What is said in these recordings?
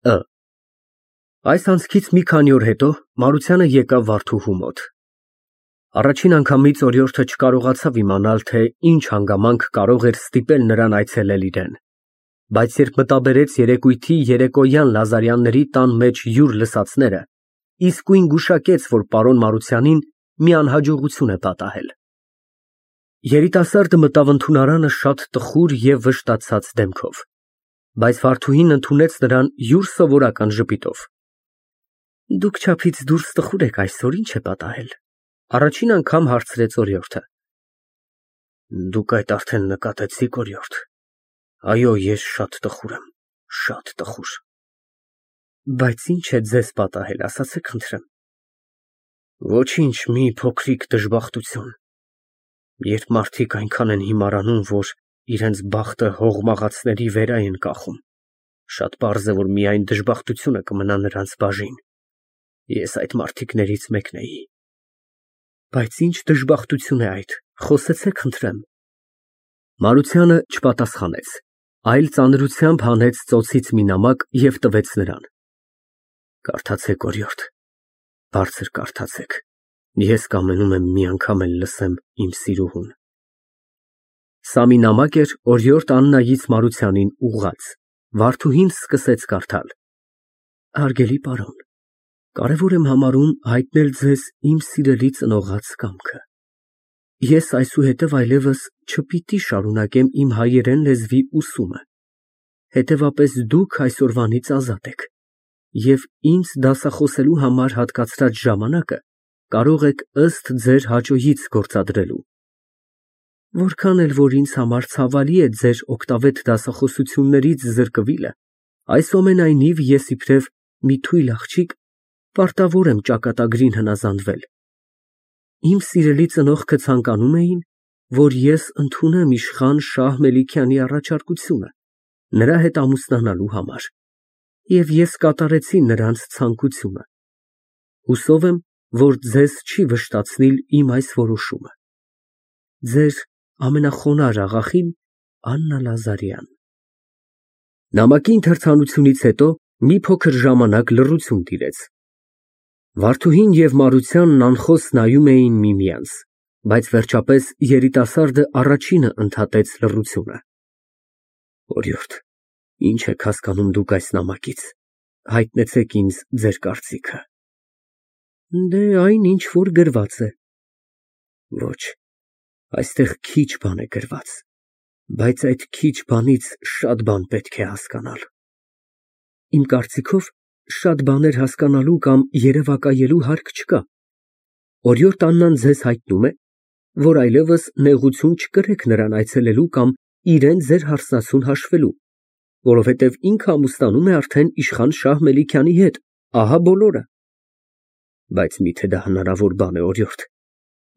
Ը Այս անցքից մի քանի օր հետո Մարությանը եկավ Վարդուհու մոտ։ Առաջին անգամից օրիորդը չկարողացավ իմանալ, թե ինչ հանգամանք կարող էր ստիպել նրան այցելել իրեն, բայց երբ մտաբերեց երեկույթի երեկոյան Լազարյանների տան մեջ յուր լսածները, իսկույն գուշակեց, որ պարոն Մարությանին մի անհաջողություն է պատահել։ Երիտասարդը մտավ ընդունարանը շատ տխուր և վշտացած դեմքով, բայց Վարդուհին ընդունեց նրան յուր սովորական ժպիտով։ Դուք չափից դուրս տխուր եք այսօր, ի՞նչ է պատահել, առաջին անգամ հարցրեց օրիորդը։ Դուք այդ արդեն նկատեցիք, օրիորդ։ Այո, ես շատ տխուր եմ, շատ տխուր։ Բայց ինչ է ձեզ պատահել, ասացեք խնդրեմ։ Ոչինչ, մի փոքրիկ դժբախտություն։ Երբ մարդիկ այնքան են հիմարանում, որ իրենց բախտը հողմաղացների վերա են կախում, շատ պարզ է, որ միայն դժբախտությունը կմնա նրանց բաժին։ Ես այդ մարդիկներից մեկն էի։ Բայց ինչ դժբախտություն է այդ, խոսեցեք խնդրեմ։ Մարությանը չպատասխանեց, այլ ծանրությամբ հանեց ծոցից մի նամակ և տվեց նրան։ Կարդացեք, օրիորդ, բարձր կարդացեք, ես կամենում եմ մի անգամ էլ լսեմ իմ սիրուհուն։ Սա մի նամակ էր օրիորդ Աննայից Մարությանին ուղղած։ Վարդուհին սկսեց կարդալ. Հարգելի պարոն, կարևոր եմ համարում հայտնել ձեզ իմ սիրելի ծնողաց կամքը։ Ես այսուհետև այլևս չպիտի շարունակեմ իմ հայերեն լեզվի ուսումը, հետևապես դուք այսօրվանից ազատ եք և ինձ դասախոսելու համար հատկացրած ժամանակը կարող եք ըստ ձեր հաճոյից գործադրելու։ Որքան էլ որ ինձ համար ցավալի է ձեր օգտավետ դասախոսություններից զրկվիլը, այսուամենայնիվ ես իբրև մի թույլ աղջիկ պարտավոր եմ ճակատագրին հնազանդվել։ Իմ սիրելի ծնողքը ցանկանում էին, որ ես ընդունեմ իշխան Շահ Մելիքյանի առաջարկությունը նրա հետ ամուսնանալու համար, և ես կատարեցի նրանց ցանկությունը։ Հուսով եմ, որ ձեզ չի վշտացնիլ իմ այս որոշումը։ Ձեր ամենախոնարհ աղախին Աննա Լազարյան։ Նամակի ընթերցանությունից հետո մի փոքր ժամանակ լռություն տիրեց։ Վարդուհին և Մարությանն անխոս նայում էին միմյանց, բայց վերջապես երիտասարդը առաջինը ընդհատեց լռությունը։ Օրիորդ, ինչ եք հասկանում դուք այս նամակից, հայտնեցեք ինձ ձեր կարծիքը։ Դե այն, ինչ որ գրված է։ Ոչ, այստեղ քիչ բան է գրված, բայց այդ քիչ բանից շատ բան պետք է հասկանալ։ Իմ կարծիքով, շատ բաներ հասկանալու կամ երևակայելու հարկ չկա։ Օրիորդ Աննան ձեզ հայտնում է, որ այլևս նեղություն չկրեք նրան այցելելու կամ իրան ձեր հարսնացուն հաշվելու, որովհետև ինքը ամուսնանում է արդեն իշխան Շահ Մելիքյանի հետ, ահա բոլորը։ Բայց միթե դա հնարավոր բան է, օրիորդ։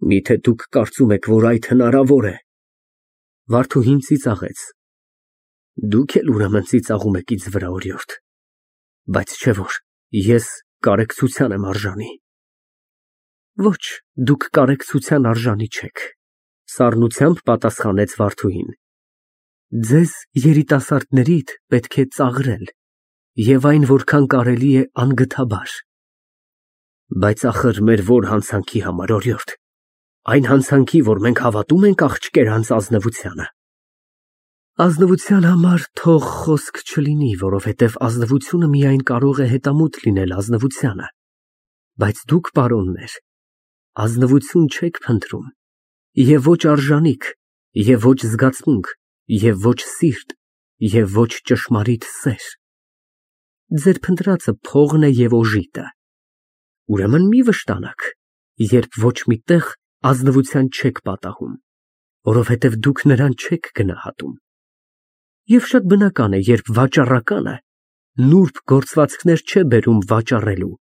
Միթե դուք կարծում եք, որ այդ հնարավոր է։ Վարդուհին ծիծաղեց։ Դուք էլ ուրեմն ծիծաղում եք ինձ վրա, օրիորդ։ Բայց չէ որ ես կարեկցության եմ արժանի։ Ոչ, դուք կարեկցության արժանի չեք, սառնությամբ պատասխանեց Վարդուհին։ Ձեզ երիտասարդներիդ պետք է ծաղրել և այն որքան կարելի է անգթաբար։ Բայց ախր մեր որ հանցանքի համար, օրիորդ, այն հանցանքի, որ մենք հավատում ենք աղջկերանց ազնվությանը։ Ազնվության համար թող խոսք չլինի, որովհետև ազնվությունը միայն կարող է հետամուտ լինել ազնվությանը, բայց դուք, պարոններ, ազնվություն չեք փնտրում, և ոչ արժանիք, և ոչ զգացմունք, և ոչ սիրտ, և ոչ ճշմարիտ սեր։ Ձեր փնտրածը փողն է և օժիտը։ Ուրեմն մի վշտանաք, երբ ոչ մի տեղ ազնվության չեք պատահում, որովհետև դուք նրան չեք գնահատում։ Եվ շատ բնական է, երբ վաճառականը նուրբ գործվածքներ չէ բերում վաճառելու,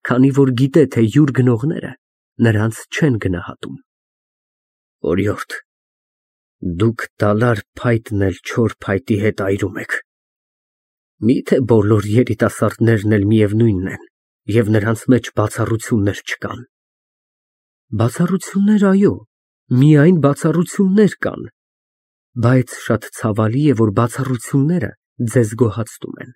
քանի որ գիտե, թե յուր գնողները նրանց չեն գնահատում։ Օրիորդ, դուք դալար փայտն էլ չոր փայտի հետ այրում եք։ Միթե բոլոր երիտասարդներն էլ միևնույնն են, և նրանց մեջ բացառություններ չկան։ Բացառություններ, այո, միայն բացառություններ կան, բայց շատ ցավալի է, որ բացառությունները ձեզ գոհացնում են։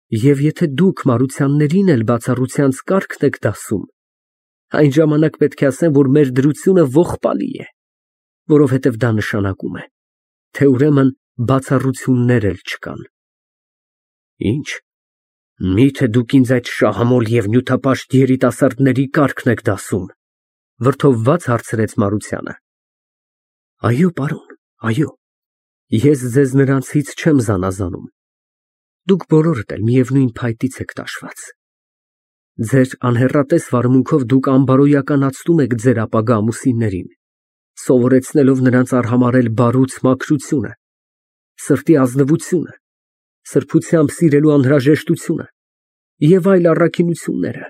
Եվ եթե դուք Մարությաններին էլ բացառությանց կարգն եք դասում, այն ժամանակ պետք է ասեմ, որ մեր դրությունը ողբալի է, որովհետև դա նշանակում է, թե ուրեմն բացառություններ էլ չկան։ Ինչ, միթե դուք ինձ այդ շահամոլ և նյութապաշտ երիտասարդների կարգն եք դասում, վրդովված հարցրեց Մարությանը։ Այո, պարոն, այո, ես ձեզ նրանցից չեմ զանազանում, դուք բոլորդ էլ միևնույն փայտից եք տաշված։ Ձեր անհեռատես վարմունքով դուք անբարոյականացնում եք ձեր ապագա ամուսիններին, սովորեցնելով նրանց արհամարհել բարուց մաքրությունը, սրտի ազնվությունը, սրբությամբ սիրելու անհրաժեշտությունը և այլ առաքինությունները,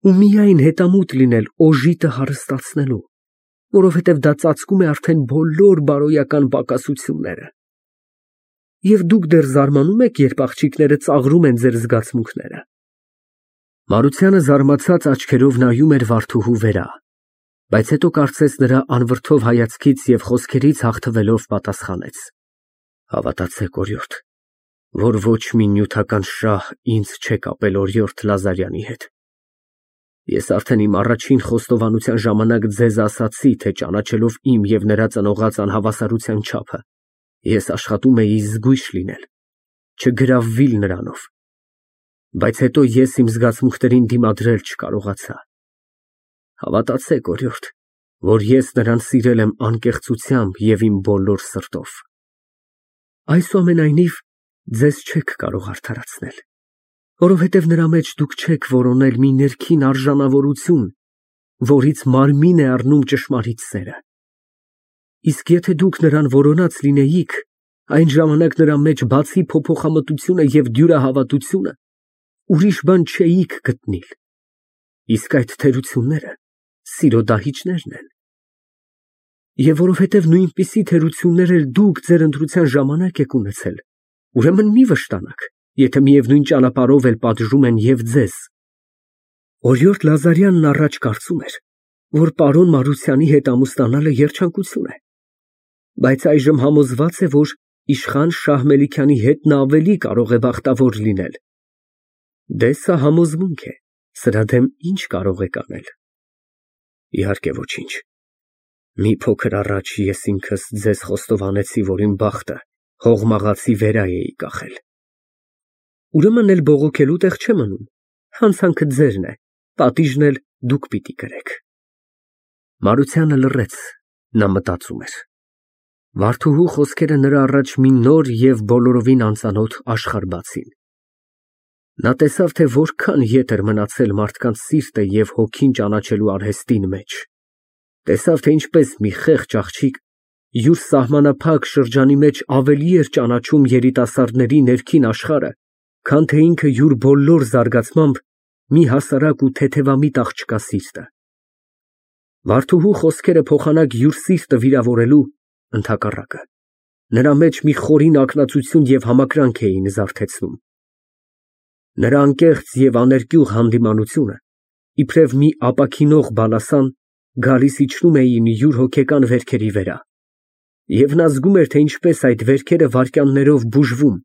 ու միայն հետամուտ լինել օժիտը հարստացնելու, որովհետև դա ծածկում է արդեն բոլոր բարոյական պակասությունները։ Եվ դուք դեռ զարմանում եք, երբ աղջիկները ծաղրում են ձեր զգացմունքները։ Մարությանը զարմացած աչքերով նայում էր Վարդուհու վրա, բայց հետո կարծես նրա անվրդով հայացքից և խոսքերից հաղթվելով պատասխանեց. Հավատացեք, օրիորդ, որ ոչ մի նյութական շահ ինձ չէ կապել օրիորդ Լազարյանի հետ։ Ես արդեն իմ առաջին խոստովանության ժամանակ ձեզ ասացի, թե ճանաչելով իմ և նրա ծնողած անհավասարության չափը, ես աշխատում էի զգույշ լինել, չգրավվիլ նրանով, բայց հետո ես իմ զգացմունքներին դիմադրել չկարողացա։ Հավատացեք, օրիորդ, որ ես նրան սիրել եմ անկեղծությամբ և իմ բոլոր սրտով։ Այսուամենայնիվ, ձեզ չեք կարող արդարացնել, որովհետև նրա մեջ դուք չեք որոնել մի ներքին արժանավորություն, որից մարմին է առնում ճշմարիտ սերը։ Իսկ եթե դուք նրան որոնած լինեիք, այն ժամանակ նրա մեջ բացի փոփոխամտությունը և դյուրահավատությունը, ուրիշ բան չէիք գտնել, իսկ այդ թերությունները սիրո դահիճներն են։ Եվ որովհետև նույնպիսի թերություններ էլ դուք ձեր ընտրության ժամանակ եք ունեցել, ուրեմն մի վշտանաք, եթե միևնույն ճանապարհով էլ պատժում են և ձեզ։ Օրիորդ Լազարյանն առաջ կարծում էր, որ պարոն Մարությանի հետ ամուսնանալը երջանկություն է, բայց այժմ համոզված է, որ իշխան Շահ Մելիքյանի հետ նա ավելի կարող է բախտավոր լինել։ Դե սա համոզմունք է, սրա դեմ ինչ կարող եք անել։ Իհարկե ոչինչ։ Մի փոքր առաջ ես ինքս ձեզ խոստովանեցի, որ իմ բախտը հողմաղացի վերա էի կախել։ Ուրեմն էլ բողոքելու տեղ չէ մնում, հանցանքը ձերն է, պատիժն էլ դուք պիտի կրեք։ Մարությանը լռեց, նա մտածում էր։ Վարդուհու խոսքերը նրա առաջ մի նոր և բոլորովին անծանոթ աշխարհ բացին։ Նա տեսավ, թե որքան ետ էր մնացել մարդկանց սիրտը և հոգին ճանաչելու արհեստին մեջ։ Տեսավ, թե ինչպես մի խեղճ աղջիկ յուր սահմանափակ շրջանի մեջ ավելի էր ճանաչում երիտասարդների ներքին աշխարհը, քան թե ինքը յուր բոլոր զարգացմամբ մի հասարակ ու թեթևամիտ աղջկա սիրտը։ Վարդուհու խոսքերը փոխանակ յուր սիրտը վիրավորելու, ընդհակառակը, նրա մեջ մի խորին ակնածություն և համակրանք էին զարթեցնում։ Նրա անկեղծ և աներկյուղ հանդիմանությունը, իբրև մի ապաքինող բալասան, գալիս իջնում էին յուր հոգեկան վերքերի վրա, և նա զգում էր, թե ինչպես այդ վերքերը վայրկյաններով բուժվում,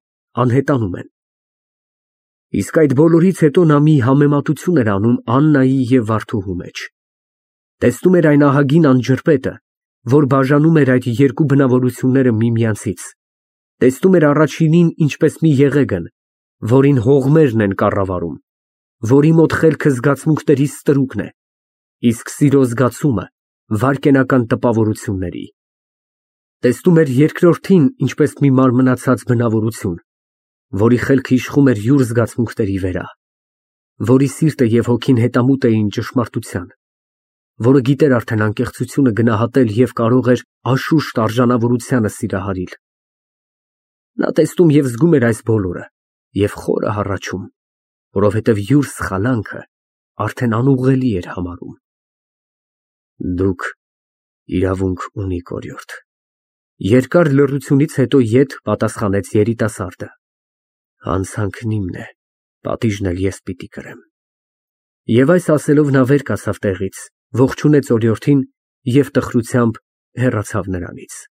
անհետանում են։ Իսկ այդ բոլորից հետո նա մի համեմատություն էր անում Աննայի և Վարդուհու մեջ։ Տեսնում էր այն ահագին անջրպետը, որ բաժանում էր այդ երկու բնավորությունները միմյանցից, տեսնում էր առաջինին ինչպես մի եղեգն, որին հողմերն են կառավարում, որի մոտ խելքը զգացմունքների ստրուկն է, իսկ սիրո զգացումը վայրկենական տպավորությունների։ Տեսնում էր երկրորդին ինչպես մի մարմնացած բնավորություն, որի խելքը իշխում էր յուր զգացմունքների վրա, որի սիրտը և հոգին հետամուտ էին ճշմարտության, որը գիտեր արդեն անկեղծությունը գնահատել և կարող էր անշուշտ արժանավորությանը սիրահարել։ Նա տեսնում և զգում էր այս բոլորը և խորը հառաչում, որովհետև յուր սխալանքը արդեն անուղղելի էր համարում։ Դուք իրավունք ունիք, օրիորդ։ Երկար լռությունից հետո ետ պատասխանեց երիտասարդը։ Հանցանքն իմն է, պատիժն էլ ես պիտի կրեմ։ Եվ այս ասելով նա վեր կացավ տեղից, ողջունեց օրիորդին և տխրությամբ հեռացավ նրանից։